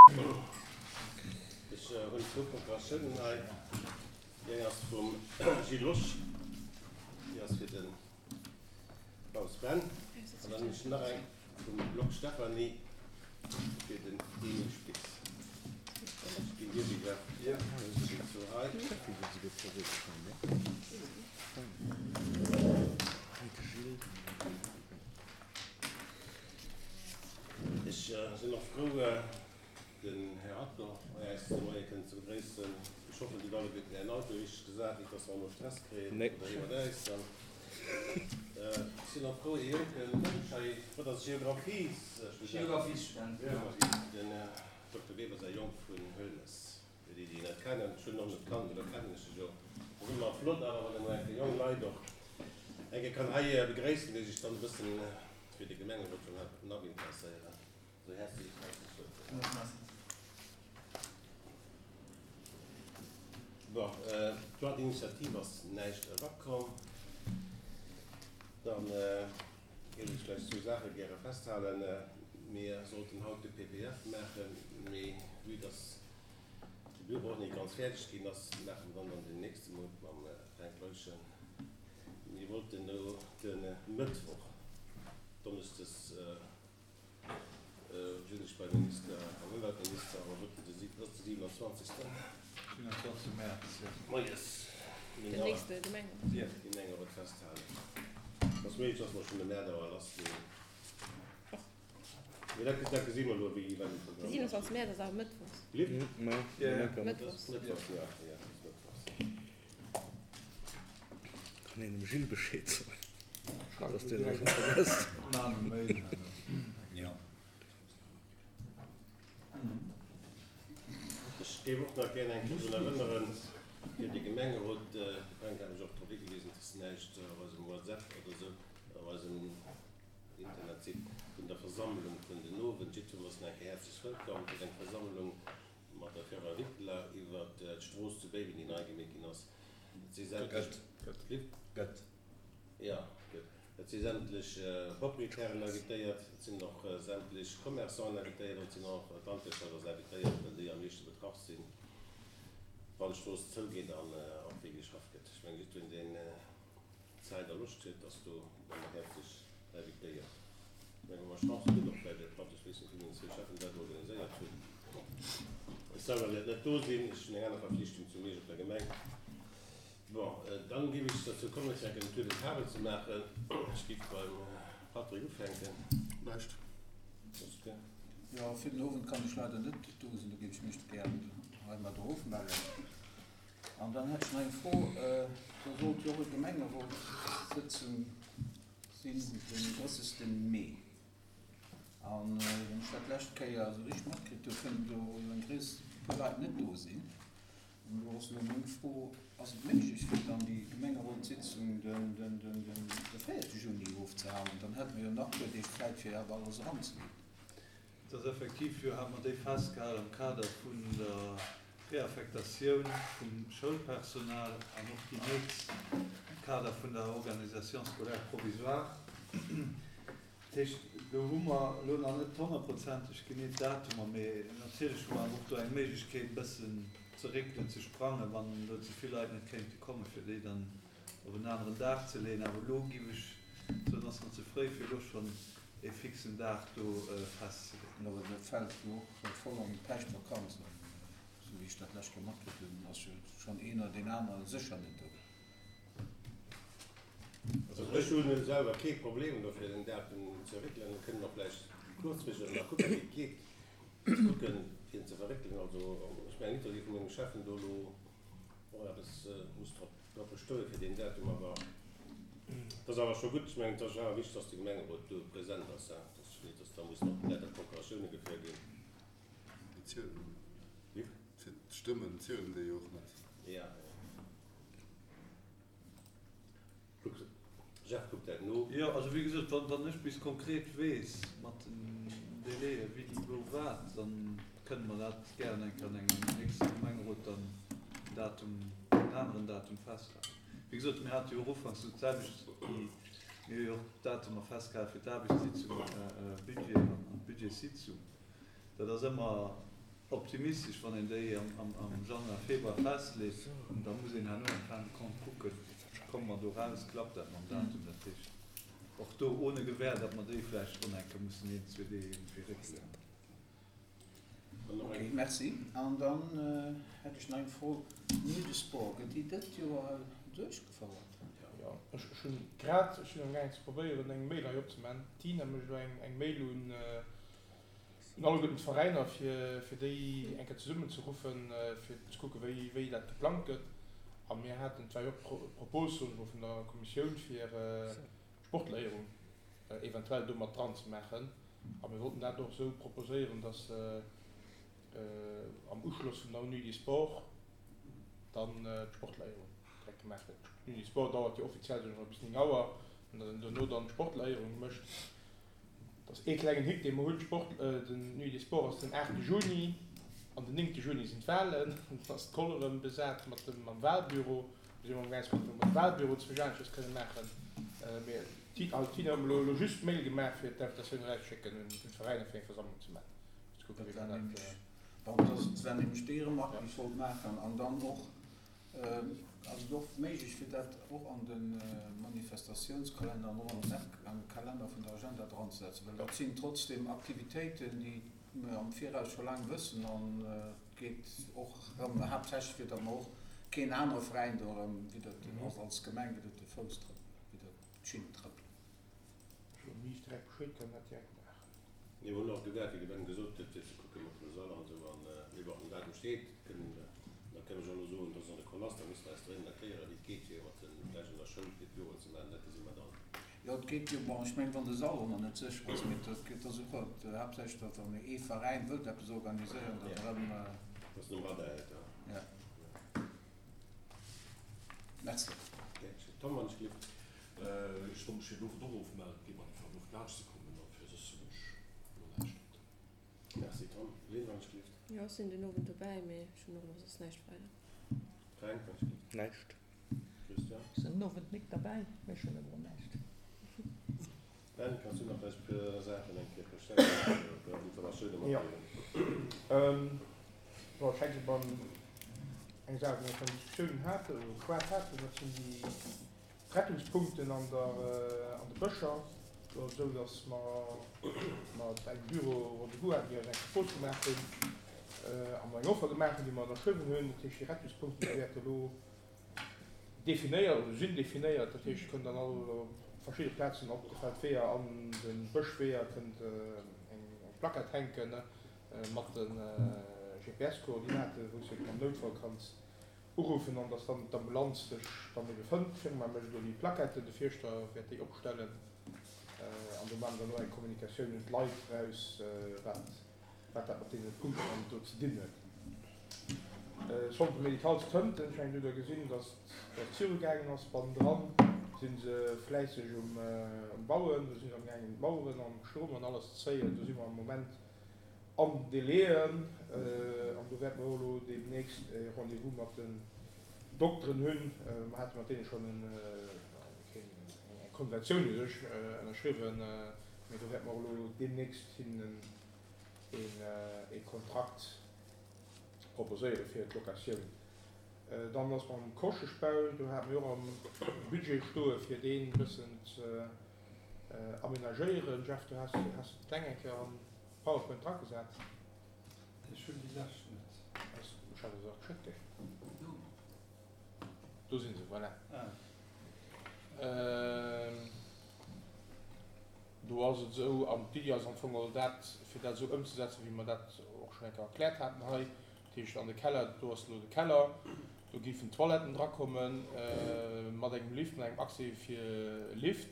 Ech hunn zwou Procuratiounen hei. Déi eng ass vum Gilles Losch, déi ass fir de Klaus Benn. An dann hunn ech nach eng vum Block Stephanie fir den Emile Spitz. Ech ginn dir déi, Jeff. Déi zwou hei. Ech sinn och frou, den Här Adler bei äis de Moie kënnen ze begréissen. Ech hoffen, Dir hutt alleguerten Ären Auto richteg gesat, nit dass mer elo Stress kréien oder iwwert äis dann. Ech sinn och frou, ee jonke Mënsch hei, wat ass Geographiesstudent? Geographiesstudent, jo. Den Här Dokter Weber säi Jong vun Hölmes, fir déi, déi en net kennen. Ech hunn en och net kannt, oder kennen ech e jo. Ass ëmmer flott awer, wann ee mol eng Kéier jonk Leit och eng Kéier kann hei begréissen, déi sech dann e bëssen fir de Gemengerot vun Napp interesséieren. Sou häerzlech häerzlech wëllkomm. Bon, Droit d'initiative ass näischt erakomm. Dann géif ech vläicht zwou Saache gäre festhalen. Mir sollten haut de PPF maachen, mee vue dass de Büro och net ganz fäerdeg ginn ass, maache mer dann dann den nächste Mount mam Fränk Leuschen. Mir wollten elo de Mëttwoch, donneschdes, sinn ech beim Minister, beim Ëmweltminister, awer wou de, ass de 27. 27 Mäerz, jo. Moies Den nächste Gemengerot. Gemengerot festhalen. Ass méiglech, dass mer schonn de Mäert awer lass ginn. Mee dat, dat gesi mer elo, wéi wat um Programm ass. De 27 Mäerz ass awer mëttwochs. Mëttwochs. Mëttwochs, jo, jo, ass mëttwochs. Kann een dem Gilles Bescheed soen, dass deen nach net vergësst. Ech géif och nach gär eng Kéier drun erënneren, fir de Gemengerot, de Fränk hat mech och drop higewisen, dass näischt op eisem WhatsApp oder esou, op eisem Internetsite vun der Versammlung vun den Owend. Jiddwerem ass nach eng Kéier häerzlech wëllkomm. Et ass eng Versammlung mat der Firma Wittler iwwert d'Strooss zu Béiwen, déi nei gemeet ginn ass. Et si sämtlech. Gëtt. Gëtt. Jo, gëtt. Et si sämtlech Proprietären invitéiert, et sinn och sämtlech Commerçanten invitéiert an et sinn och d'Landwirtschaft ass invitéiert, well déi am meeschte betraff sinn, wann d'Strooss zougeet an och wéi geschafft gëtt. Ech mengen, jiddwereen, deen Zäit a Loscht huet, ass do ëmmer häerzlech invitéiert. Ech mengen, wa mer Chance hunn, och vläicht e Platt, ech weess net, wéi meng zwee Cheffen dat organiséiert hunn. Ech selwer wäert net do sinn, ech hunn eng aner Verflichtung zu Miersch op der Gemeng. Bon, dann géif ech derzou kommen, fir enk en Tour de table ze maachen. Ech géif beim Patrick ufänken. Näischt. Ok. Jo, fir den Owend kann ech leider net do sinn, do géif ech mech gären heimadder ofmellen. An dann hätt ech nach eng Fro, Do sollt jo och e Gemengerotssëtzung sinn den 30. Mee. An wann ech dat d'lescht Kéier esou richteg matkritt hu, kënnen do jo eng gréiss puer Leit net do sinn. An do ass elo meng Fro, Ass et méiglech, fir dann déi Gemengerotssitzung den 4. Juni ofzehalen? Dann hätte mer jo nach e puer Deeg Zäit, fir awer alles eranzeginn. Et ass effektiv jo, hate mer déi festgehalen am Kader vun der Reaffektatioun vum Schoulpersonal an och déi nächst am Kader vun der Organisation scolaire provisoire. Dat heescht, do hu mer elo nach net honnertprozenteg genee d'Datumer, mee natierlech hu mer awer och do eng Méiglechkeet e bëssen ze réckelen, ze sprangen, wann elo ze vill Leit net kéinte kommen, fir déi dann op en aneren Dag ze leeën. Awer elo géif ech soen, ass nach ze fréi, fir elo schonn ee fixen Dag do festzeleeën. Awer dat fält jo och voll an d'Päischtvakanz an esou wéi ech dat d'lescht Joer matkritt hunn, ass jo schonn een oder deen anere sécher net do. Also ech hunn selwer kee Problem do fir den Datum ze réckelen. Mir kënnen och vläicht kuerzfristeg nach kucken, wéi et geet, ze kucken fir en ze verréckelen. Also ech mengen net, datt ee vu mengem Cheffen do elo och eppes muss drop drop bestoe fir deen Datum. Awer et ass awer scho gutt, ech mengen et ass awer wichteg, datt de Gemengerot do present ass, hein, datt net datt da mussen och lauter Procuratioune geféiert ginn. Déi zielen, fir d'Stëmmen zielen déi jo och net. Ja. Jeff kuckt dat no. Jo, also wéi gesot, wann wann ech bis konkret weess mat den Délaië wéini, wou, wat, dann kënne mer dat gären eng Kéier an engem nächste Gemengerot dann en Datum, en aneren Datum festhalen. Wéi gesot, mir hate jo och ufanks do d'selwecht, déi, mir hu jo och d'Datumer festgehale fir d'Aarbechtssitzung, Budget an d'Budgetssitzung. Dat ass ëmmer. Optimistesch, wann een déi am Januar, Februar festleet, an da muss een herno en fin de compte kucken, komme mer do raus, klappt dat mam Datum. Dat heescht, och do ohne Gewähr, datt mer déi vläicht och nach eng Kéier mussen een, zwee Deeg iergendwéi réckelen. Ok, merci. An dann hätt ech nach eng Fro, Nuit de Sport, gëtt déi dëst Joer duerchgefouert? Jo, ech hunn grad, ech sinn amgaangen ze probéieren eng Mail hei opzemaachen, d'Tina mécht elo eng Mail un Un alleguerten d'Veräiner, fir déi eng Kéier zesummenzeruffen, fir ze kucken, wéi dat geplangt gëtt. A mir haten, et war jo och d'Propos, soen ech mol, vun der Kommissioun, fir d'Sportléierung eventuell do mat dran ze maachen. A mir wollten dat och esou proposéieren, dass am Uschloss vun der Nuit des Sports dann d'Sportléierung direkt gemaach gëtt. D'Nuit des Sports dauert jo offiziell, soen ech mol, bis 9 Auer, an datt een duerno dann d'Sportléierung mécht. Et ass ee klengen Hick, dee mer hunn, Sport, den Nuit des Sports ass den aachte Juni an den néngte Juni sinn d'Wahlen. Dann ass d'Koll erëm besat mat dem, mam Wahlbüro. Do si mer amgaang ze kucken, ob mer de Wahlbüro zwësch aneschters kënne maachen. Mee d'Tina, d'Tina huet mer elo just d'Mail gemaach, fir d'Invitatioun erauszeschécken un d'Veräiner, fir eng Versammlung ze maachen, fir ze kucken, wéi mer dat. Bon, dat war nämlech déi Remarque, déi ech wollt maachen. An dann och, Ass et och méiglech fir dat och an de Manifestatiounskalenner an och an de Kalenner vun der Agenda dranzesetzen? Well dat sinn trotzdem Aktivitéiten, déi mer am Viraus scho laang wëssen an et geet och erëm haaptsächlech fir datt mer och keen anere Veräin do erëm widder den, och als Gemeng widder de Fouss trëppelen, widder d'Schinn trëppelen. Ech hunn ni direkt Bescheed, kann dat direkt maachen. Mir hunn och gewäert, wéi de Ben gesot huet, fir ze kucken mat dem Sall an esou. An mee bon, den Datum steet, kënnen, da kënn ech och elo soen, dass an de Koll ass, da misste mer eis dréngend erklären, wéi et geet, fir mat den, vläicht an der Schoul, fir d'Büroen ze maachen, dat gesi mer dann. Jo, et geet jo, bon, ech mengen, wann de Sall och nach net sécher ass, mee dat geet da souguer, haaptsächlech, datt wann ee Veräin wëllt eppes organiséieren, datt erëm. Dass en um Radar hält, ja. Ja. Merci. Tom, wann ech gelift. Ech wollt mech fir den Owend och ofmellen, et geet mer einfach genuch laanscht ze kommen a fir soss hunn ech elo näischt haut. Merci Tom. Lynn, wann ech gelift. Jo, ech sinn den Owend dobäi, mee ech hunn och elo soss näischt weider. Fränk, wann ech gelift. Näischt. Christian? Ech sinn den Owend nik derbäi, mee ech hunn elo näischt. Ben, kanns du nach vläicht e puer Saachen eng Kéier preschtéieren, e puer Informatioune matdeelen? Jo, ech hänke beim eng Saach, déi mer schonn Diskussiounen haten oder geschwat haten, dat sinn déi Rettungspunkten an der an de Bëscher. Do ass et esou, datt mer mat engem Büro Rendez-vous haten, déi eis eng Propos gemaach hunn a mer eng Offer gemaach hunn, déi mer ënnerschriwwen hunn. Dat heescht, déi Rettungspunkten, déi wäerte elo definéiert oder sinn definéiert. Dat heescht, et kënnt an all op verschidde Plazen op de Feldweeër an de Bëschweeër kënnt eng Plackett hänken mat de GPS-Koordinaten, wou s de am Noutfall kanns uruffen an dass dann d'Ambulanz dech dann ebe fënnt. D'Firma mécht elo déi Plaquetten, de Fierschter wäert déi opstellen an do maache mer dann och eng Kommunikatioun un d'Leit eraus, wat wat dat mat deene Punkten do ze dinn huet. Centre médical zu Tënten, ech mengen, do hutt Der gesinn, dass et virugaangen ass. Bannendran si se fläisseg um Bauen, do si se amgaangen d'Maueren an Strom an alles ze zéien. Do si mer am Moment an den Délaiën an do wäerte mer och elo deemnächst e Rendez-vous mat den Dokteren hunn. Mer hate mat deene schonn eng Konventioun u sech ënnerschriwwen, mee do wäerte mer och elo deemnächst hinnen ee Kontrakt proposéiere fir d'Locatioun. Dann ass mam Koscheschbau, do hate mir och am Budget stoe fir deen e bëssen ze amenagéieren. Jeff, du has d'Pläng eng Kéier am PowerPoint dragesat. Ech hunn déi lescht net. Ech hat der se och geschéckt, gell? Do si se, voilà. Do ass et esou, an d'Iddi ass am Fong geholl dat, fir dat esou ëmzesetzen, wéi mer dat och schonn eng Kéier erkläert haten hei. Dat heescht, an de Keller, do ass elo de Keller, do géifen d'Toiletten drakommen, mat engem Lift, mat engem Accès fir Lift.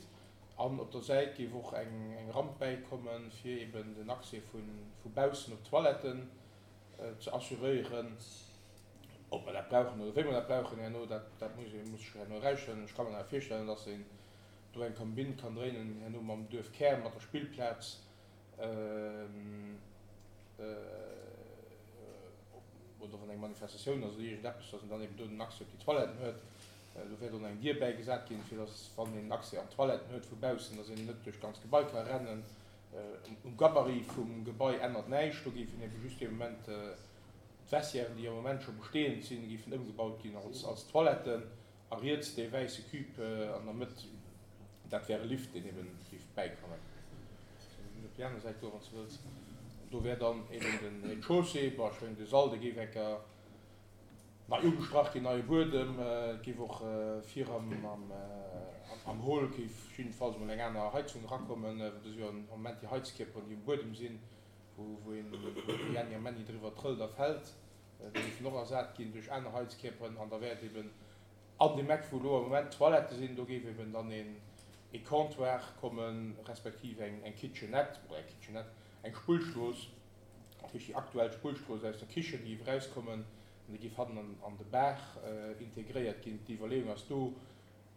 An op der Säit géif och eng Ramp bäikommen, fir eben den Accès vu baussen op d'Toiletten ze assuréieren. Ob mer dat brauchen oder wéi mer dat brauchen herno, dat muss ee, muss sech herno erausstellen. Ech ka mer awer virstellen, dass een do eng Kombinn kann dréinen herno mam Duerfkär, mat der Spillplaz oder wann eng Manifestatioun ass oder iergendeppes, dass een dann eben do den Accès op déi Toiletten huet. Do wäert och nach eng Dier bäigesat ginn, fir dass, wann een Accès an d'Toiletten huet vu baussen, dass een net duerch d'ganz Gebai ka rennen. Um Gabarit vum Gebai ännert näischt, do géifen ebe just dee Moment d'Vestiairen, déi am Moment scho bestehend sinn, géifen ëmgebaut ginn als Toiletten. A riets dee wäisse Cube an der Mëtt, dat wär e Lift, deen eben géif bäikommen. Op déi aner Säit goen, wann s de wëlls. Do wär dann eben den Rez-de-chaussée, bon, ech mengen de Sall, dee géif eng Kéier nei ugestrach ginn, neie Buedem, et géif och vir am Hall géif jiddefalls emol eng aner Heizung erakommen, well do si jo am Moment déi Heizkierperen, déi um Buedem sinn, wou een, wou de Jänni a Männi driwwer trëllt a fält. Déi géifen och ersat ginn duerch aner Heizkierperen an da wäert eben an deem Eck, wou elo am Moment d'Toilette sinn, do géif eben dann een ee Comptoir kommen, respektiv eng eng Kitchenette, oder eng Kitchenette, eng Spullstrooss, dat heescht déi aktuell Spullstrooss aus der Kichen, déi géif erauskommen an déi géif hannen an an de Bar integréiert ginn. D'Iwwerleeung ass do,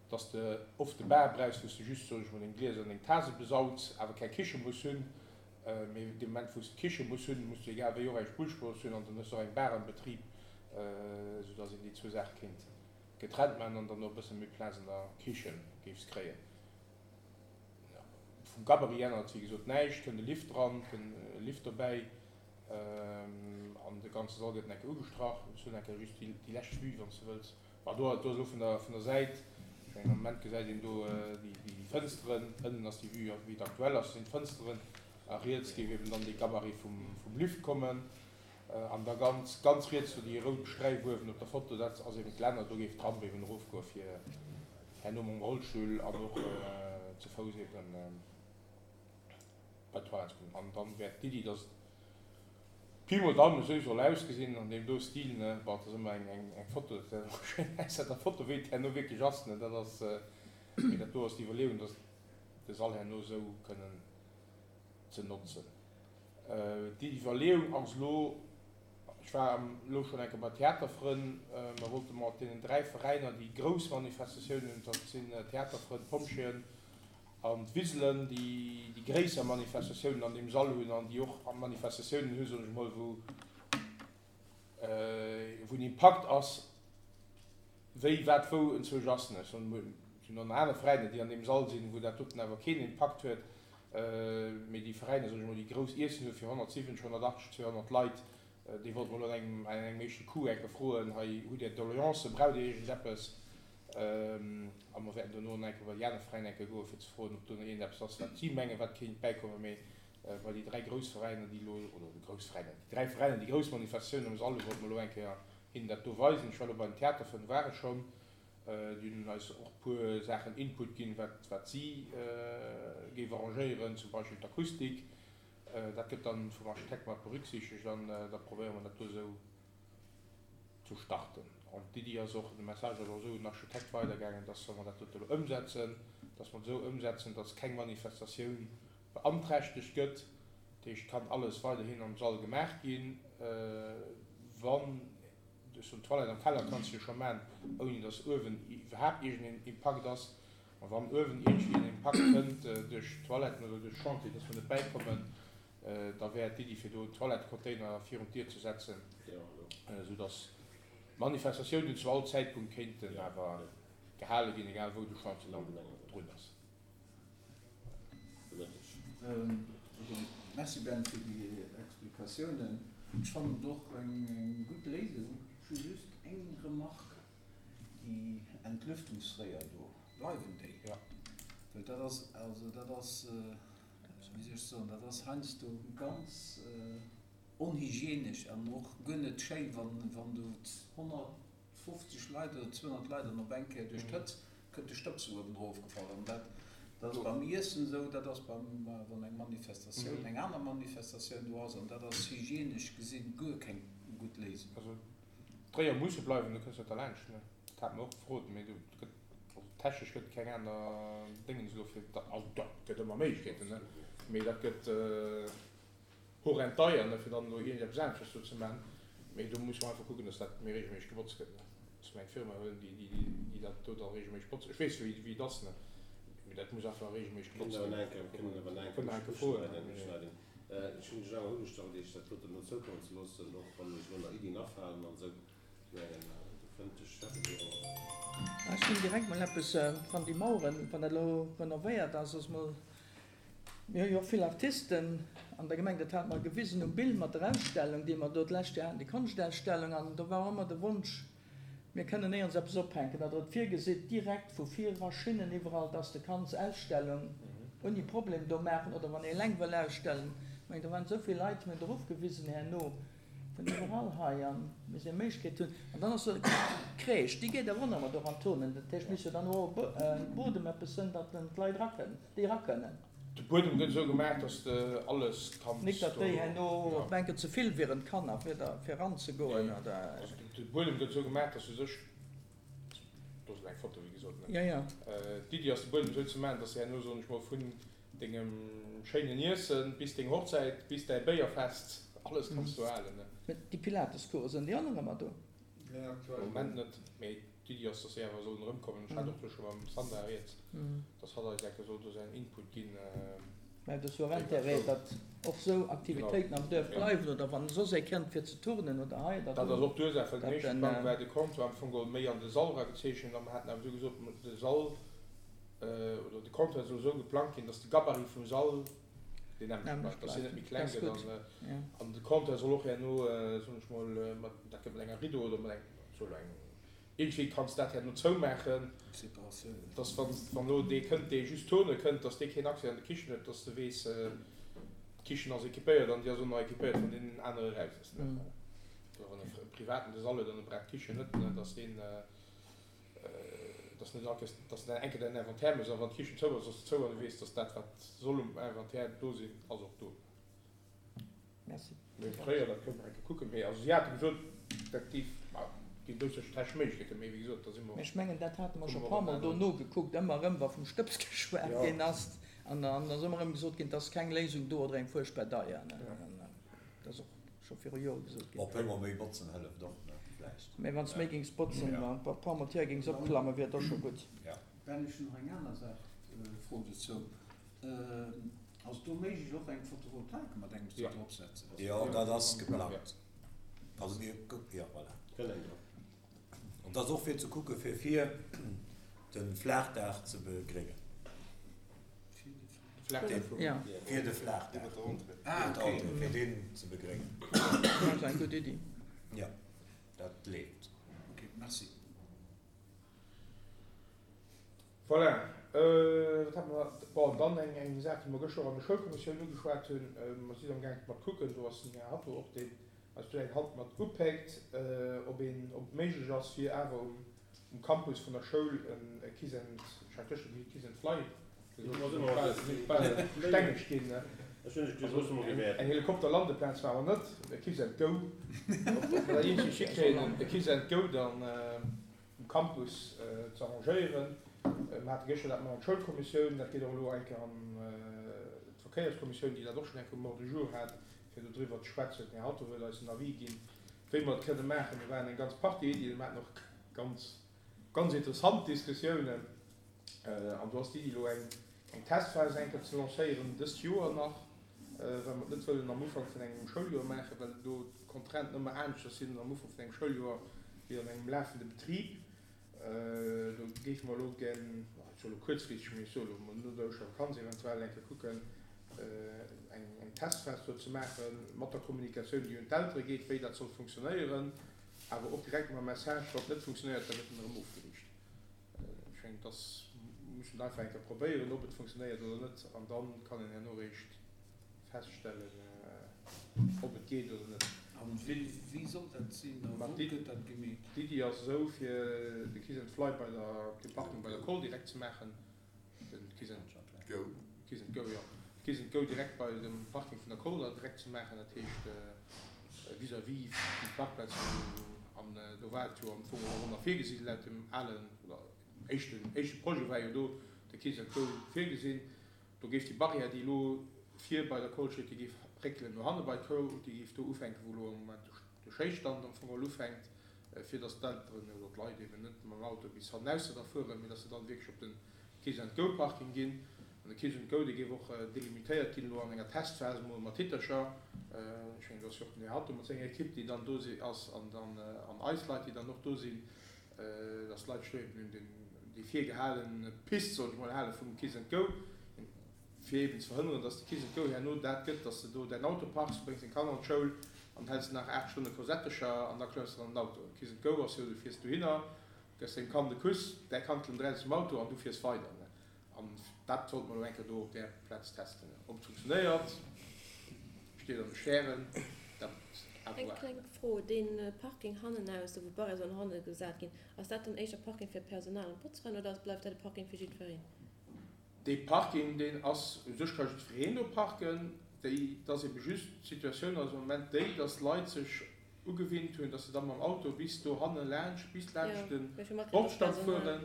dass de oft de Bar brauchs, wou s de just, soen ech mol, deng Glieser an deng Tase besauts, awer keng Kiche muss hunn. Mee dee Moment, wou s de d'Kiche muss hunn, muss du egal wéi och eng Spullstrooss hunn an dann hues de och eng Bar am Betrib, soudass een déi zwou Saache kéint getrennt maachen an dann och e bësse méi Plaz an der Kiche géifs kréien. Vum Gabarit ännert wéi gesot näischt, kënnt e Lift dran, kënnt e Lift dobäi an de ganze Sall gëtt nach eng Kéier ugestrach. Ech hunn eng Kéier just déi lescht Vue, wann s de wëlls. Bon, do ass elo vun der, vun der Säit, ech mengen am Moment gesäit een do déi Fënsteren, ënnen ass déi Vue wéi et aktuell ass, sinn d'Fënsteren a riets géif eben dann dee Gabarit vum, vum Lift kommen an da ganz, ganz riets do déi rout Sträif uewen op der Foto, dat ass eben d'Länner, do géif d'Ramp eben erofgoe fir herno mam Rollstull an och ze Fouss eben bei d'Toilette ze kommen. An dann wär d'Iddi, dass et Pi mol Daumen esou soll ausgesinn an deem do Stil ne, bon et ass ëmmer eng eng Foto, dat ass och schéin aus der Foto wéi et herno wierklech ass ne, dat ass, mee dat do ass d'Iwwerleeung dass de Sall herno esou kënnen ze notzen. Déi Iwwerleeung ass elo, ech war elo schonn eng Kéier bei Theaterfrënn, mer wollte mat deenen 3 Veräiner déi grouss Manifestatiounen hunn, dat sinn Theaterfrënn, Pompjeeën An d'Wiselen, déi déi gréisser Manifestatiounen an deem Sall hunn an déi och Manifestatiounen hunn, soen ech emol, wou wou en Impakt ass, wéi wat wou enzwousch ass. Ech soen emol, et sinn och nach aner Veräiner, déi an deem Sall sinn, wou dat doten awer keen Impakt huet, mee déi Veräiner, soen ech emol, déi grouss Iessen hu fir 170, 180, 200 Leit, déi wollte mer elo an engem an engem éischte Coup enke froen, hei hutt Dir Doleancen, braucht Dir iergendeppes? A mer wäerten dono nach eng Kéier bei déi aner Veräiner eng Kéier goen, fir ze froen, ob do nach iergendeppes ass, wat si mengen, wat kéint bäikommen. Mee bei déi 3 grouss Veräiner, déi elo, oder déi grouss Veräiner, déi 3 Veräiner, déi grouss Manifestatiounen am Sall hunn, wollte mer elo eng Kéier hinnen dat do weisen. Ech war elo bei den Theaterfrënn, war ech schonn. Déi hunn eis och e puer Saachen Input ginn, wat, wat si géif arrangéieren, zum Beispill d'Akustik. Dat gëtt dann vum Architekt mat berücksichtegt an da probéiere mer dat do esou ze starten. An d'Iddi ass och, de Message ass och esou un den Architekt weidergaangen, dass, wa mer dat dote elo ëmsetzen, dass mer et esou ëmsetzen, dass keng Manifestatioun beanträchtegt gëtt. Dat heescht, et kann alles weiderhin am Sall gemaach ginn, wann, ech soen, d'Toilette am Keller kanns de jo scho maachen, ouni dass uewen iwwerhaapt iergendeen Impakt ass. A wann uewen iergendwéi en Impakt kënnt duerch d'Toiletten oder duerch Chantier, dass mer net bäikommen, Da wär d'Iddi fir do Toilettecontainer virun d'Dier ze setzen, esou dass Manifestatiounen zu all Zäitpunkt kéinten awer gehale ginn, egal wou de Chantier dann drun ass. Merci Ben fir déi Explikatiounen. Ech fannen et och eng gutt Léisung. Ech hu just eng Remarque, Déi Entlüftungsréier do, bleiwen déi? Well dat ass, also dat ass, wéi soll ech soen, dat ass heiansdo ganz onhygienesch an och guer net schéi, wann do 150 Leit oder 200 Leit an op eng Kéier duerch d'Hëtzt kënnt de Stëbs uewen erof gefall. An dat ass beim Iessen esou, dat ass beim, wann eng Manifestatioun, eng aner Manifestatioun do ass, an dat ass hygienesch gesinn guer keng gutt Léisung. Also d'Réier musse bleiwen, do kënns du net derlaanscht, ne? Dat hate mer och gefrot, mee do gëtt. Also technesch gëtt et keng aner Déngens elo fir, also dach, et gëtt ëmmer Méiglechkeeten, ne, mee dat gëtt horrend deier, ne, fir dann elo iergendeppes aneschters do ze maachen. Mee do musse mer einfach kucken, dass dat méi regelméisseg gebotzt gëtt, ne, dass mer eng Firma huelen, déi, déi, déi dat do da regelméisseg botzt. Ech weess, wéi, wéi et ass, ne, mee dat muss einfach regelméisseg gebotzt ginn. Kënnen awer nach eng Kéier uschneiden. Ech hunn dech awer ugestallt, iech dat doten elo zoukommen ze loossen, och wann iech elo nach Iddien afalen an esou. Ech hunn direkt mol eppes, wann déi Maueren, wann dat elo renovéiert ass, ass mol. Mir hu jo och vill Artisten an der Gemeng, dat hate mer gewisen um Bild mat der Ausstellung, déi mer do d'lescht Joer haten, déi Konschtausstellung. An do war och ëmmer de Wonsch, mir kënnen néierens eppes ophänken, datt Der et virgesitt, direkt vu vir era Schinnen iwwerall, datt s de kanns Ausstellung ouni Problem do maachen oder wann ee eleng wëll ausstellen. Ech mengen, do waren esou vill Leit, mir hunn drop gewisen herno, vun iwwerall hei an mir se Méiglechkeet hunn. An dann ass do d'Crèche, déi geet awer och nach mat och an Turnen. Dat heescht, mir musse jo dann och e Bodem eppes hunn, datt d'Leit erakënnen, déi erakënnen. De Buedem gëtt esou gemaach, dass de alles kanns do. Nik datt déi herno menken ze vill wieren d'Kanner fir da fir eranzegoen oder. Also de Buedem gëtt esou gemaach, dass u sech, do ass elo eng Foto wéi gesot, ne? Jo, jo. D'Iddi ass de Buedem esou ze maachen, dass de herno, soen ech mol, vun dengem schéinen Iessen bis deng Hochzäit bis däi Béierfest alles kanns do halen, ne? Mä déi Pilatescoursen, déi och nach ëmmer do? Moment net, mee d'Iddi ass, dass si awer sollen erëmkommen. Ech hat och do scho mam Sandra rieds, dass hatt eis enke soll do säin Input ginn. Mä et ass jo och Intérêt, datt och esou Aktivitéiten am Duerf bleiwen, oder wann soss ee kënnt fir ze turnen oder hei oder do. Dat ass och d'Ursaach, well den datt éischte en. Plang war de Comptoir am Fong geholl méi an de Sall eragezeechent a mer haten awer du gesot, de Sall oder de Comptoir soll esou geplangt ginn, dass de Gabarit vum Sall deen nämmlecht bleift, dass hien net méi kleng gëtt an de Comptoir soll och herno, soen ech mol, mat, dat gëtt mat enger Rideau oder mat engem, soll eng, iergendwéi kanns dat herno zoumaachen, dass wann, wann elo dee kënnt, dee just turne kënnt, dass dee keen Accès an de Kichen huet, dass de weess, d'Kichen ass équipéiert an déi ass och nach équipéiert, wann deen anere raus ass, ne. Oder wann e Privaten de Sall huet an e brauch d'Kichen net, ne, dass deen. Dass net all Kéiers, dass de eng Kéier däin Inventaire méchs a wann d'Kichen zou ass, ass se zou an du weess, dass dat, wat soll um Inventaire do sinn, ass och do. Merci. Mee fréier, dat kënne mer eng Kéier kucken, mee also si hate gesot, dat géif, ma ginn doudsécher technesch Méiglechkeeten, mee wéi gesot, da si mer. Mee ech mengen, dat hate mer scho e puermol do nogekuckt, ëmmer erëm, wa vum Stëbs geschwat ginn ass an dann ass ëmmer erëm gesot ginn, et ass keng Léisung do oder eng fuerchtbar deier. Dat ass och. Scho viru Jore gesot ginn. Bon, puer mol méi botzen hëlleft och, ne, vläicht. Mee wann s méi géings botzen, an e puer mol d'Tier géings opklammen, wier et och scho gutt. Ja. Ben, ech hunn nach eng aner Saach, Fro dozou. Ass et do méiglech och eng Photovoltaik mat engem do drop setzen? Jo, dat ass geplangt. Also mir, jo, voilà. An dat ass och fir ze kucke fir vir de Flaachdaach ze begréngen. Fir de Flaachdaach. Ah, okay. Fir deen ze begréngen. Dat ass eng gutt Iddi. Jo, dat leeft. Ok, merci. Voilà, wat hate mer nach? Bon, dann eng, eng Saach, déi mer gëschter och an der Schoulkommissioun ugeschwat hunn. Mer sinn amgaang mat kucken, do ass den Här Hatto och deen eis do eng Hand mat upéckt, ob een, ob et méiglech ass, fir awer um, um Campus vun der Schoul e Kiss and, ech hat gëschter de Kiss and Fly gesot, sinn ech bal stengeg ginn, eng Helikopterlandeplaz war awer net, e Kiss and Go, ob mer dat iergendwéi hikréien, e Kiss and Go dann um Campus ze arrangéieren. Mer hate gëschter dat mat an d'Schoulkommissioun, dat geet och elo eng Kéier an d'Verkéierskommissioun, déi dat och schonn eng Kéier um Ordre du jour hat, fir dodriwwer ze schwätzen. Den Här Hatto huet eis en Avis ginn, wéi mer et kënne maachen. Do waren eng ganz Partie Iddien, mer haten och ganz, ganz interessant Diskussiounen. An do ass d'Iddi elo eng, eng Testphas eng Kéier ze lancéieren, dëst Joer nach, well mer et net wëllen am Ufank vun engem Schouljoer maachen, well do d'Contrainten ëmmer aneschters sinn am Ufank vun engem Schouljoer wéi an engem lafende Betrib. Do géife mer elo gär, ech soe elo kuerzfristeg, mee ech soe elo no der Ouschtervakanz eventuell eng Kéier kucken, eng Testphas do ze maache mat der Kommunikatioun, déi un d'Eltere geet, wéi dat soll funktionéieren, awer och direkt mam Message, wann et net funktionéiert, da gëtt en erëm ofgeriicht. Ech mengen, dass muss een einfach eng Kéier probéieren, ob et funktionéiert oder net, an da kann een herno eréischt feststellen, ob et geet oder net. A wéi soll dat sinn a wou gëtt dat gemeet? D'Iddi ass esou, fir de Kiss and Fly bei der, op dem Parking bei der Koll direkt ze maachen, den Kiss and Go. Kiss and Go, jo, Kiss and Go direkt bei dem Parking vun der Koll da direkt ze maachen, dat heescht vis-à-vis vum Parkplaz an do war et jo am Fong och ëmmer virgesinn, laut dem alen oder éischten, éischte Projet war jo do de Kiss and Go virgesinn. Do géif déi Barrière, déi elo vir bei der Koll steet, déi géif réckelen no hanne bei d'Koll, déi géif do ufänken, wou elo am Moment de Schéisstand am Fong geholl ufänkt, fir datt d'Elteren oder d'Leit eben net mam Auto bis hannenausser da fueren, mee datt se dann wierklech op de Kiss and Go Parking ginn. An de Kiss and Go, dee géif och delimitéiert ginn elo an enger Testphas emol mat Hitercher. Ech mengen, do ass jo och den Här Hatto mat senger Ekipp, déi dann do ass, an dann an eis Leit, déi dann och do sinn, dass d'Leit sech do eben un déi virgehale Pist, soll ech mol, hale vum Kiss and Go. Fir eben ze verhënneren, dass de Kiss and Go herno dat gëtt, dass de do däin Auto parks, du bréngs deng Kanner an d'Schoul an häls nach 8 Stonne Kosettecher an da klëmms de dann an den Auto. Kiss and Go ass jo, du fiers dohinner, gëss dengem Kand e Kuss, däi Kand klëmmt eraus aus dem Auto an du fiers weider. An dat wollte mer elo eng Kéier do op där Plaz testen. Ob et funktionéiert, steet an de Stären, dat à Eng voir. kleng Fro, Dee Parking hannenaus, do wou d'Barrière sollen hanne gesat ginn, ass dat dann éischter Parking fir d'Personal an d'Botzeren oder bleift dat e Parking fir jiddwereen? Dee Parking, deen ass, u sech ka jiddwereen do parken. Déi, et ass ebe just, d'Situatioun ass am Moment déi, dass d'Leit sech ugewinnt hunn, dass se da mam Auto bis do hanne laanscht, bis laanscht de Bordstand fueren,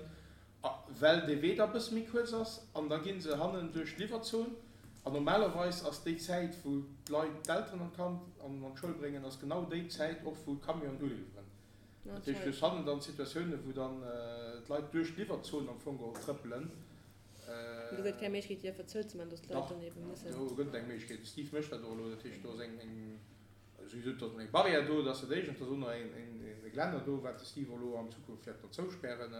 well dee Wee da e bësse méi kuerz ass, an da gi se hannen duerch d'Liwwerzon. An normalerweis ass déi Zäit, wou d'Leit d'Elteren an d'Kand an an d'Schoul bréngen, ass genau déi Zäit och, wou d'Camionen uliwweren. Dat heescht, du hues hannen dann Situatiounen, wou dann d'Leit duerch d'Liwwerzon am Fong geholl trëppelen. Do gëtt keng Méiglechkeet, déi einfach zouzemaachen, dass d'Leit dann ebe mussen. Dach, do gëtt et eng Méiglechkeet. De Steve mécht dat och elo. Dat heescht, do ass eng, souwisou, do ass eng Barrière do, dat ass dat Éischt. An et ass och nach e Geländer do, wat de Steve och elo an Zukunft wäert mat zouspären.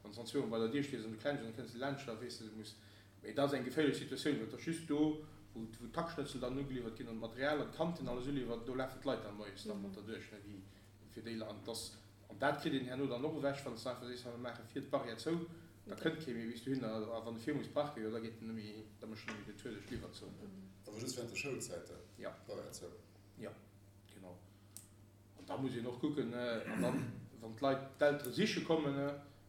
Wann s de dann zweemol bei der Dier stees an du klengs an da kënns de laanscht, da weess de, du muss. Mee dat ass eng geféierlech Situatioun, well et ass just do, wou d'Hackschnëtzel dann ugeliwwert ginn an d'Material an d'Kantin alles uliwwert, do lafen d'Leit dann moies dann mat derduerch, déi fir déi an dass an dat kritt een herno dann och ewech, wann s de einfach sees, hei mir maache vir d'Barrière zou, da kënnt kee méi bis dohinner a wann e vir muss parken, jo da geet en net méi, da mécht en net méi den Tour duerch d'Liwwerzon. Awer just während de Schoulzäiten, Jo. d'Barrière zou? Jo, genau. An da muss een och kucken, an dann, wann d'Leit, d'Eltere siche kommen,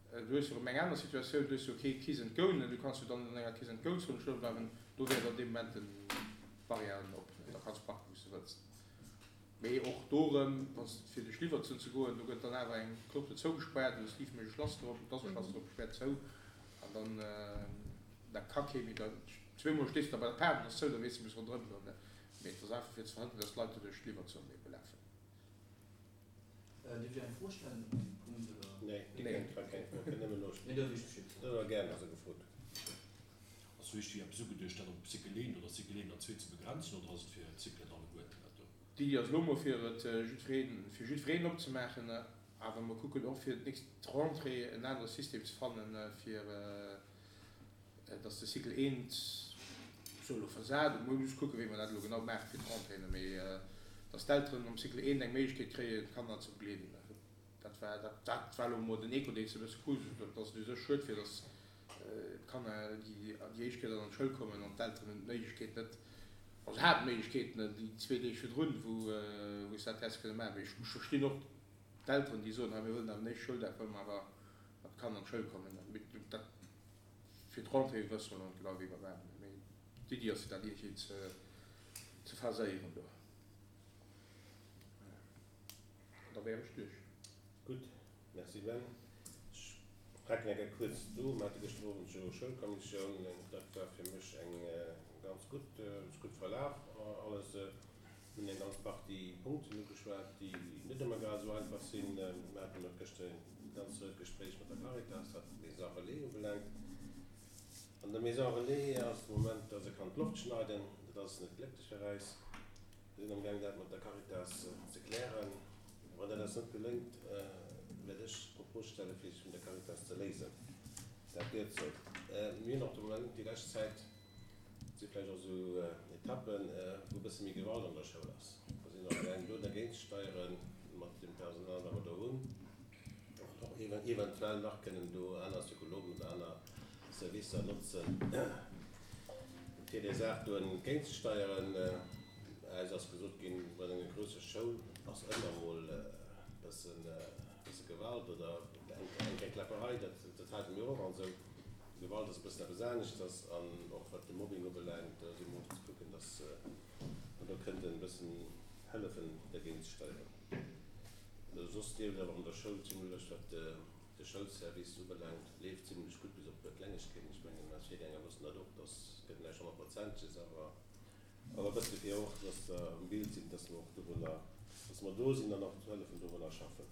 du hues jo erëm eng aner Situatioun, du hues jo kee Kiss and Go, du kanns jo dann an enger Kiss and Go-Zon stoe bleiwen, do wär dann dee Moment d'Barrièren op, da kanns parken, wou s de wëlls. Mee och do erëm, wann s fir duerch Liwwerzon ze goen, do gëtt dann awer eng Clôture zougespaart, oder Steve mécht e Schlass drop, et ass e Schlass drop, späert zou an dann da ka kee méi da, zweemol stees de da bei der Paart an ass zou, da weess de, muss ronderëm goen. Mee et ass einfach fir ze verhënneren, dass d'Leit do duerch d'Liwwerzon ebe lafen. Dierf ech eng Fro stellen op deem Punkt, oder? Nee, Dir kënnt grad keng Fro, kënnt nëmmen elo. Nee, da weess ech Bescheed. Dat awer gär nach esou gefrot. Ass wierklech déi eppes ugeduecht, dat op Cycle 1 oder Cycle 1 an 2 ze begrenzen, oder ass et fir d'Cyclen alleguerten dat do? D'Iddi ass elo mol fir et jiddwereen, fir jiddwereen opzemaachen, awer mer kucken och fir d'nächst Rentrée en anere System ze fannen, fir dass de Cycle 1 sou elo versat, mir musse kucken, wéi mer dat elo genau maache fir d'Rentréeën, mee dass d'Elteren am Cycle 1 eng Méiglechkeet kréien, d'Kanner ze begleeden. Dat war, dat war elo mol den Echo, deen s de e bësse krus, dass et u sech schued wier, dass d'Kanner, déi déi éischt Kéier dann an d'Schoul kommen an d'Elteren hunn d'Méiglechkeet net, also haten d'Méiglechkeet net déi zwee Deeg virdrun, wou wou se dat hätte kënne maachen. Mee ech verstinn och d'Elteren, déi soen, hei mir wëllen awer den éischte Schouldag wëlle mer awer mat de Kanner an d'Schoul kommen. Mee dat fir d'Rentrée wësse mer elo net genau, wéi mer maachen. Mee d'Iddi ass fir dat iergendwéi ze ze phaséieren do. An da wär ech duerch. Gutt, merci Ben. Ech fänken eng Kéier kuerz do. Mir hate gëschter Owend jo Schoulkommissioun. Dat war fir mech eng ganz gutt, ass gutt verlaf alles. Mir hunn eng ganz Partie Punkten ugeschwat, déi net ëmmer grad esou einfach sinn. Mir haten och gëschter e ganz ruet Gespréich mat der Caritas, wat d'Maison Relais ubelaangt. An der Maison Relais ass de Moment, dass e kann d'Loft schneiden. Dat ass net glécklech fir eis. Mir sinn amgaang dat mat der Caritas ze klären. Wann dat eis net geléngt, wäert ech d'Propos stellen, fir sech vun der Caritas ze léisen. Dat gehéiert sou. Mir hunn och de Moment, déi lescht Zäit, et si vläicht och esou Etappen, wou e bësse méi Gewalt an der Schoul ass. Mer sinn amgaang do dergéint ze steieren mat deem Personal, wat mer do hunn. Och eventuell nach kënnen do aner Psychologen oder aner Servicer notzen, fir där Saach do entgéintzesteieren. Eis ass gesot ginn, bei enger grousser Schoul ass ëmmer emol e bësse Gewalt oder eng kleng Kläpperei, dat hate mir och an esou. Gewalt ass e bëssen eppes aneschters an och wat de Mobbing ubelaangt, do si mer och ze kucken, datt mer do kënnten e bëssen hëllefen dergéint ze steieren. Soss leeft et awer an der Schoul zimlech, wat de Schoulservice ubelaangt, leeft zimlech gutt, bis op e puer Klengegkeeten. Ech mengen, eis Virgänger wëssen dat och, dass gëtt näischt Honnertprozentiges, awer awer e bësse fir och, dass der am Bild sinn, dass mer och dorunner, dass mer do sinn an och hëllefen dorunner schaffen.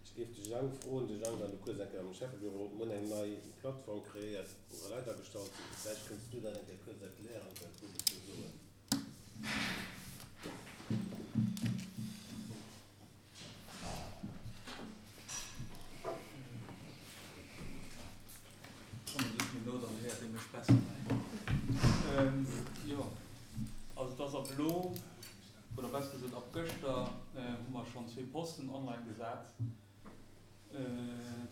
Ech géif de Jang froen, de Jang war elo kuerz eng Kéier am Schäffebüro, mir hunn eng nei Plattform kreéiert, wou Leit agestallt sinn. Vläicht kënns du dat eng Kéier kuerz erklären, wat du dozou soen. schonn zwee Posten online gesat.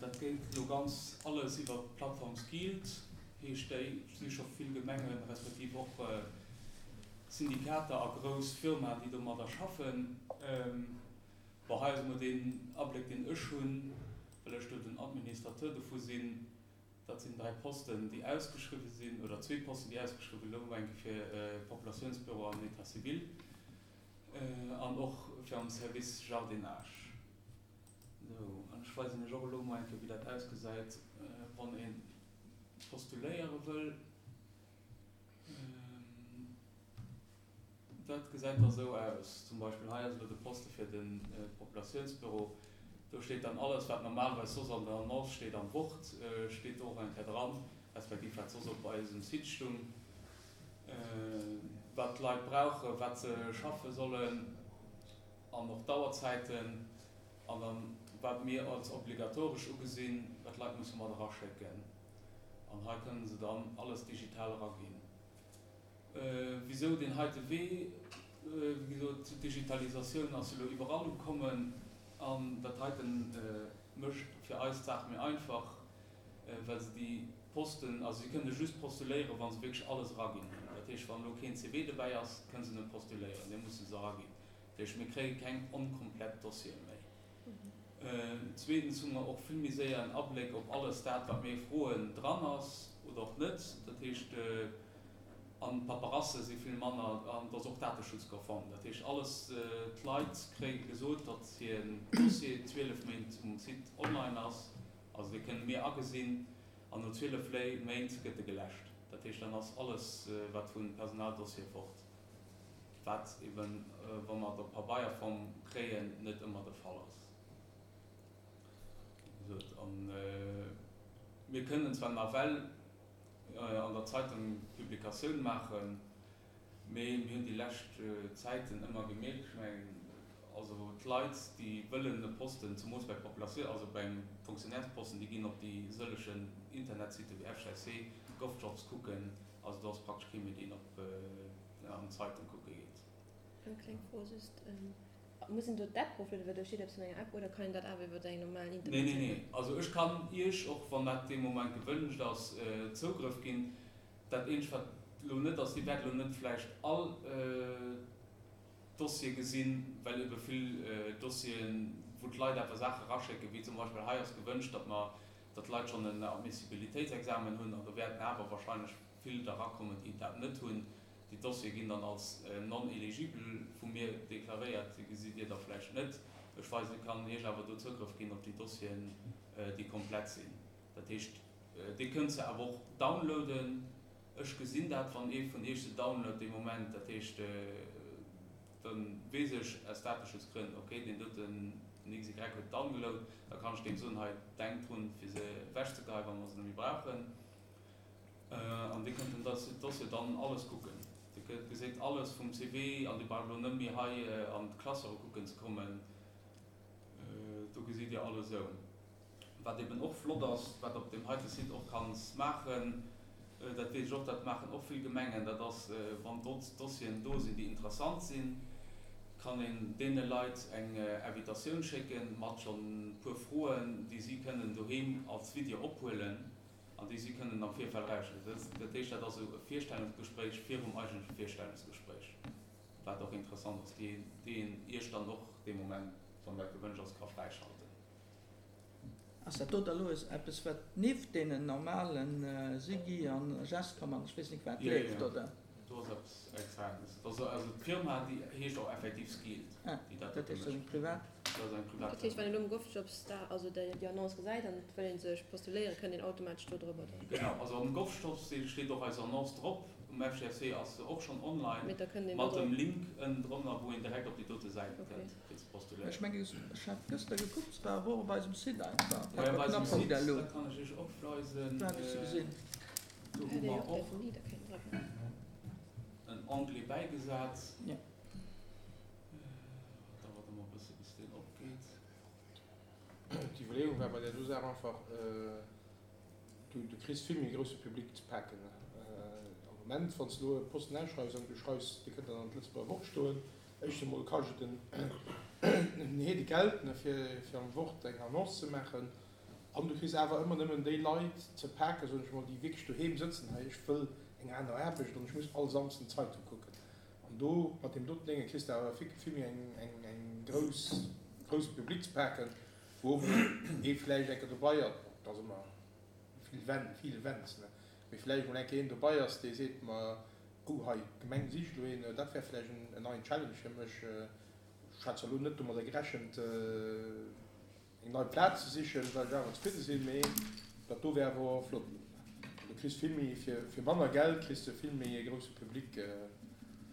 Dat geet elo ganz alles iwwer d'Plattform Skilled, heescht déi. Et si scho vill Gemengen, respektiv och Syndikater a grouss Firmaen, déi domadder schaffen. Bon, hei ass emol deen Abléck, deen ech hunn, well ech do den Administrateur dovu sinn. Dat sinn 3 Posten, déi ausgeschriwwe sinn, oder zwee Posten, déi ausgeschriwwe elo eng Kéier fir Populatiounsbüro an État civil an och fir am Service Jardinage. Esou, an ech weisen Iech och elo mol eng Kéier, wéi dat ausgesäit, wann ee postuléiere wëll. Dat gesäit da sou aus, zum Beispill hei ass elo de Poste fir de Populatiounsbüro, do steet dann alles wat normalerweis soss an der Annonce steet am Wort, steet do och eng Kéier dran, respektiv wat soss op eisem Site stung, wat d'Leit brauchen, wat se schaffe sollen an och d'Auerzäiten an dann wat mir als obligatoresch ugesinn, wat d'Leit musse mat eraschécken an hei kënne se dann alles digital eraginn. Wisou deen heite Wee? Wéi gesot, d'Digitalisatioun ass elo iwwerall ukommen an dat heite mécht fir eis d'Saach méi einfach, well se déi Posten, also si kënne just postuléieren, wa se wierklech alles eraginn hunn. Dat heescht, wann elo keen CV dobäi ass, kënne se net postuléieren, dee musse se eraginn. Dat heescht, mir kréie keng onkomplett Dossiere méi. Zweetens hu mer och vill méi séier en Abléck, ob alles dat, wat mir froen, dran ass oder och net. Dat heescht, an d'Paperasse si vill manner an et ass och dateschutzkonform. Dat heescht, alles, d'Leit kréie gesot, datt hiren Dossier 12 Méint um Site online ass, also dee kënne mir agesinn, an no 12 Méint gëtt e geläscht. Dat heescht, dann ass alles, wat vu Personaldossier fort. Wat eben, wa mer et op Pabeierform kréien, net ëmmer de Fall ass. Wéi gesot, a mir kënnen zwar nawell an der Zeitung Publikatioun maachen, mee mir hunn déi lescht Zäiten ëmmer gemierkt, ech mengen, also d'Leit, déi wëllen e Posten, zemoos bei Populatioun, also bei engem Fonctionnairesposten, déi ginn op déi sëllegen Internetsite wéi FGC, GovJobs kucken, also do ass praktesch kee méi, deen op an d'Zeitung kucke geet. Eng kleng Fro just, Muss een do d'App eroflueden, well do steet eppes vun enger App, oder kann een dat awer iwwer eng normal Nee, nee, Internetsäit nee. Also ech kann Iech, och wann dat dee Moment gewënscht ass, Zougrëff ginn. Dat eenzegt wat elo net ass, Dir wäert elo net vläicht all Dossiere gesinn, well ebe vill Dossieren, wou d'Leit awer Saache eraschécken, wéi zum Beispill hei ass gewënscht, datt mer, datt d'Leit schonn en Admissibilitéitsexamen hunn, an do wäerten awer wahrscheinlech vill der erakommen, déi dat net hunn. Déi Dossiere ginn dann als non éligible vu mir deklaréiert. Déi gesitt Dir da vläicht net. Ech weisen, kann Iech awer do Zougrëff ginn op déi Dossieren, déi komplett sinn. Dat heescht, Dir kënnt se awer och downloaden. Ech gesinn dat, wann ee vun Iech se download dee Moment. Dat heescht, da weess ech aus Dateschutzgrënn, okay, deen doten, den XY huet downgeload, da kann ech deem soen, hei, denk drun, fir se ewechzegeheien, wa mer se net méi brauchen. An Dir kënnt den Dossier dann alles kucken. Dir geséit alles vum CV an Dir braucht elo net méi hei an d'Klassere kucken ze kommen. Do gesitt Dir alles esou. Wat eben och flott ass, wat op deem heite Site och kanns maachen, dat weess ech och, dat maachen och vill Gemengen, dat ass, wann Dossieren do sinn, déi interessant sinn, kann een deene Leit eng Invitatioun schécken mat schonn e puer Froen, déi si kënnen doheem als Video ophuelen. An déi si kënnen am Virfeld erausstellen. Dat heescht, dat ass esou e Virstellungsgespréich virum eigentleche Virstellungsgespréich, wat och interessant ass, déi een Iech dann och dee Moment, wann dat gewënscht ass, ka fräischalten. Ass dat do da lo eppes, wat nieft deenen normalen Sigi an Gescom an ech weess nik wat leeft, oder? Jo, jo, do ass eppes Extranes. Also d'Firma, déi heescht och effektiv Skeeled, déi dat dote mécht. Dat heescht, dat ass eng privat? Dat ass eng privat Dat heescht, wann een elo um GovJobs da, also déi Annonce gesäit an et wëll ee sech postuléieren, kënnt een automatesch do drëbber dann? Genau, also um GovJobs steet och eis Annonce drop, um FGFC ass se och schonn online, Mee da kënnt een mat do dem drop. Link ënnendrënner, wou een direkt op déi dote Säit kënnt, fir ze postuléieren. Ech mengen, ech hat gëschter gekuckt, se war awer och op eisem Site einfach, Jo, op eisem Site, paperknapp.lu. dat kann ech Iech och weisen. Do hat ech se gesinn. Do hu mer och en Onglet bäigesat. Jo. Dauert ëmmer e bësse bis deen opgeet. D'Iwwerleeung war bei där do Saach einfach, du kriss vill méi grousse Public ze paken. Am Moment, wann s de elo e Posten ausschreifs an du schreifs, dee kënnt dann an d'Lëtzebuerger Wort stoen. Éischt emol kascht et en Heede Geld, ne, fir fir am Wort eng Annonce ze maachen. An du kriss awer ëmmer nëmmen déi Leit ze paken, soen ech emol, déi wierklech doheem sëtzen, hei ech wëll eng aner Aarbecht an ech muss all Samsden d'Zeitung kucken. An do mat deem doten Dénge kriss de awer vill vill méi eng eng eng grouss grousse Public ze paken, wou och emol ee vläicht eng Kéier dobei ass, bon, et ass ëmmer vill Wenn, vill Wenns, ne, mee vläicht emol eng Kéier een dobei ass, dee seet, ma oh hei, d'Gemeng sicht elo een, dat wär vläicht en en neien Challenge fir mech, ech hat zwar elo net domadder gerechent, eng nei Plaz ze sichen, well ech awer zefridde sinn, mee dat do wär awer flott. Du kriss vill méi, fir manner Geld kriss de vill méi e grousse Public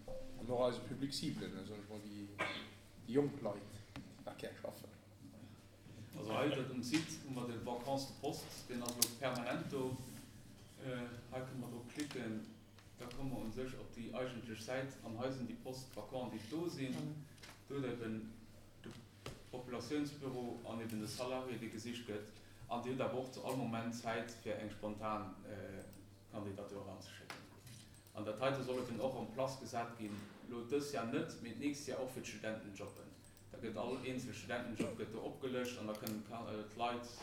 an och eise Public cible, soen ech mol, déi jonk Leit, déi nach gär schaffen. Also hei dat um Site hu mer de Vacances de poste, deen ass elo permanent do. Hei kënne mer drop klicken, da komme mer u sech op déi eigentlech Säit an hei sinn déi Postes vacants, déi do sinn. Do huet eben de Populatiounsbüro an eben de Salarié, dee gesicht gëtt. An Dir hutt awer och zu all Moment Zäit, fir eng spontan Kandidatur eranzeschécken. An dat heite soll eben och en place gesat ginn, elo dës Jahr net, mee d'nächst Jahr och fir d'Studentenjobben. Da gëtt all eenzel Studentenjob gëtt do opgelëscht an da kënnen d'Leit,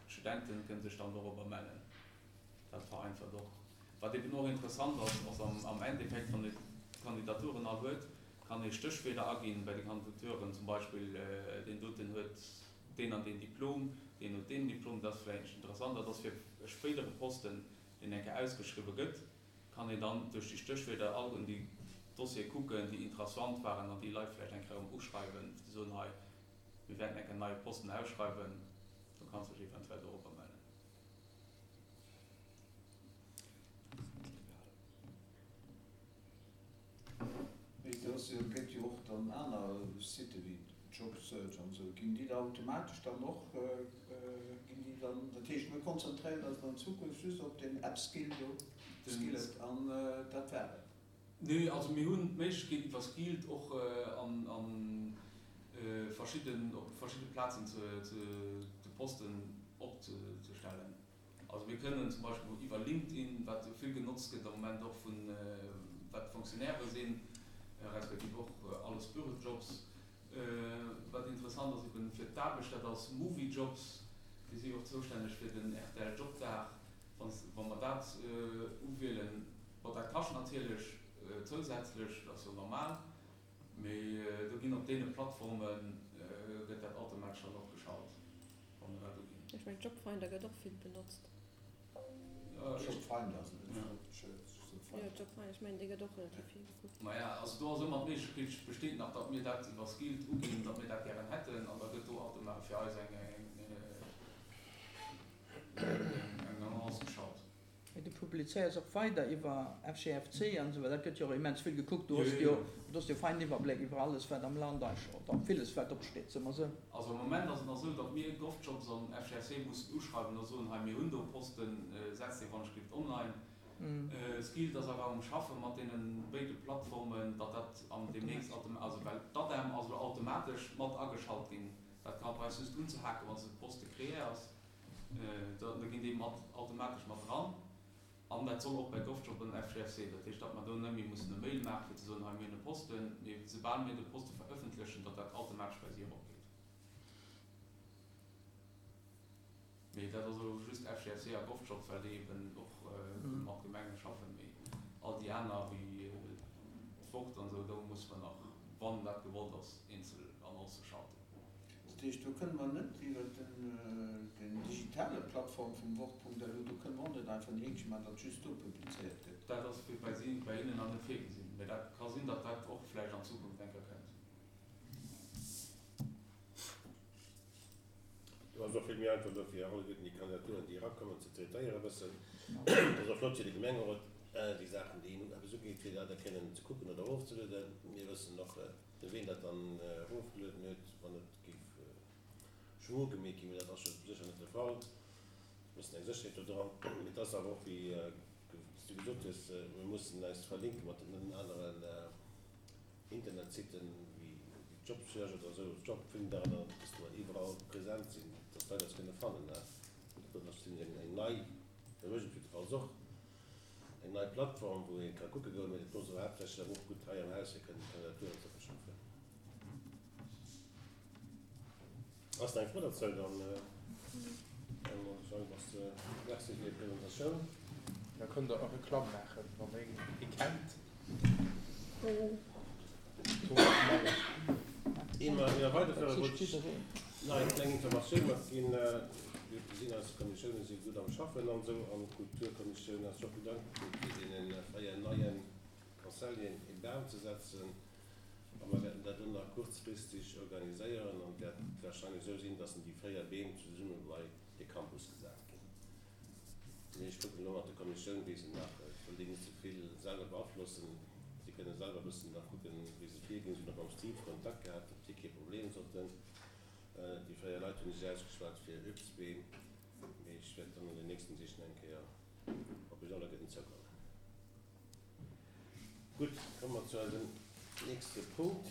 d'Studenten, kënnen sech dann dorobber mellen. Dat vereinfacht och. Wat eben och interessant ass, ass am Endeffekt, wann ee d'Kandidaturen all huet, kann ee Stéchwierder aginn bei de Kandidaturen, zum Beispill deen doten huet deen an deen Diplom, deen huet deen Diplom. Dat ass vläicht interessant. Dat ass fir e spéidere Posten, deen eng Kéier ausgeschriwwe gëtt, kann een dann duerch déi Stéchwierder all un déi Dossiere kucken, déi interessant waren an déi Leit vläicht eng Kéier erëm uschreiwen, fir ze soen, hei, mir wäerten eng Kéier en neie Posten ausschreiwen, do kanns dech eventuell dorobber mellen. Mee et ass jo, et gëtt jo och dann aner Site wéi Jobsearch an esou. Ginn déi da automatesch dann och, ginn déi dann, dat heescht mir konzentréieren eis dann an Zukunft just op deen Upskill do, Skillet an dat war et? Nee, also mir hunn d'Méiglechkeet iwwer Skilled och an verschidden, op verschidde Plazen ze de Posten opzestellen. Also mir kënnen zum Beispill iwwer LinkedIn, wat jo vill genotzt gëtt am Moment och vun, wat Fonctionnairë sinn, respektiv och alles Bürojobs. Wat interessant ass eben fir d'Aarbecht, dat ass Mooviejobs, déi si jo och zoustänneg fir den rtl Jobdag. Wa mer dat uwielen, bon dat kascht natierlech zousätzlech, dat ass jo normal, mee do ginn op deene Plattforme gëtt dat automatesch dann och geschalt. Wann mer dat uginn. Ech mengen Jobfinder gëtt och vill benotzt. Jobfinder ass et net Jobsearch. Jo Jobfinder, ech mengen dee gëtt och relativ vill gekuckt. Maja, also do ass ëmmer d'Méiglechkeet besteet nach, datt mir dat iwwer Skilled uginn, datt mir dat gären hätten an da gëtt do automa fir eis eng eng Annonce geschalt. Mee du publizéiers och weider iwwer FGFC an esou weider, dat gëtt jo och immens vill gekuckt. Du hues jo, du hues jo feinen Iwwerbléck iwwer alles wat am Land eigentlech, oder villes wat opsteet, soe mer esou. Also am Moment ass et nach esou, datt mir GovJobs an FGFC mussen uschreiwen a soen, hei mir hunn do Posten, setzt dee wann-ech-gift online. Skilled ass awer um Schaffe mat deene béide Plattformen, datt dat an deemnächst autom, also well d'ADEM ass elo automatesch mat ageschalt ginn, dat ka bei eis just unzehaken, wann s de Poste créé ass. Da ginn déi mat automatesch mat dran. An dat soll och bei GovJob an FGFC. Dat heescht, datt mer do net méi mussen e Mail maachen, fir ze soen, hei mir hunn e Posten, mee soubal mir de Poste verëffentlechen, datt dat automatesch bei si eropgeet. Mee dat ass elo just FGFC a GovJob, well déi eben och mat Gemenge schaffen. Mee all déi aner, wéi d'Wort an esou, do musse mer nach, wann dat gewollt ass, eenzel Annoncë schalten. Dat heescht, do kënne mer net iwwer den digitale Plattform vum Wort.lu, do kënne mer och net einfach en Heekche maachen, datt just do publizéiert gëtt. Dat ass fir bei si, bei hinnen nach net virgesinn, mä dat ka sinn, datt dat och vläicht an Zukunft eng Kéier kënnt. Do ass och vill méi einfach dofir alleguerten déi Kandidaturen, déi erakommen, ze traitéieren e bëssen. Et ass och flott fir de Gemengerot, déi Saachen, déi een eppes ugeet, fir dat da kënnen ze kucken oder erofzelueden. Mir wëssen och, De ween dat dann erofgelueden huet, wann et géif Schmuh gemeet ginn, mee dat ass jo sécher net de Fall, e bëssen eng Sécherheet do dran. Mee et ass awer och, wéi s du gesot hues, mir mussen eis verlinke mat den aneren Internetsitten, wéi Jobsearch oder esou, Jobfinder, oder dass mer iwwerall present sinn, dass d'Leit eis kënne fannen. Dat ass eng nei, da mécht et jiddefalls och. Eng nei Plattform, wou ee ka kucke goen, mee et muss awer haaptsächlech awer och gutt hei am Haus fir kënnen Kandidaturen ze verschaffen. Ass nach eng Fro dozou? Dann soen ech Merci fir déi Presentatioun. Da kënnt Der och Reklamm maachen, wann Der ee kennt. Ier mer weiderfueren, wollt ech nach eng kleng Informatioun matginn. Mir gesinn, eis Kommissiounen si gutt am Schaffen an esou, an d'Kulturkommissioun ass och gutt agefuer, fir deene 4 neie Conseilleren ee Bam ze setzen. A mer wäerten dat elo nach kuerzfristeg organiséieren an et wäert warscheinlech esou sinn, dass déi 4 Beem zesumme bei de Campus gesat ginn. Mee ech kucken elo mat der Kommissioun, wéi se nach, ech wëll déi net ze vill selwer beaflossen, si kënne selwer e bëssen nach kucken, wéi se virginn. Si hunn och mam Steve Kontakt gehat, ob déi kee Problem sollten. Déi 4 Leit hunn sech ausgeschwat fir Uebstbeem, mee ech wäert dann an den nächsten Deeg nach eng Kéier op iech alleguerten zoukommen. Gutt, komme mer zu eisem nächste Punkt.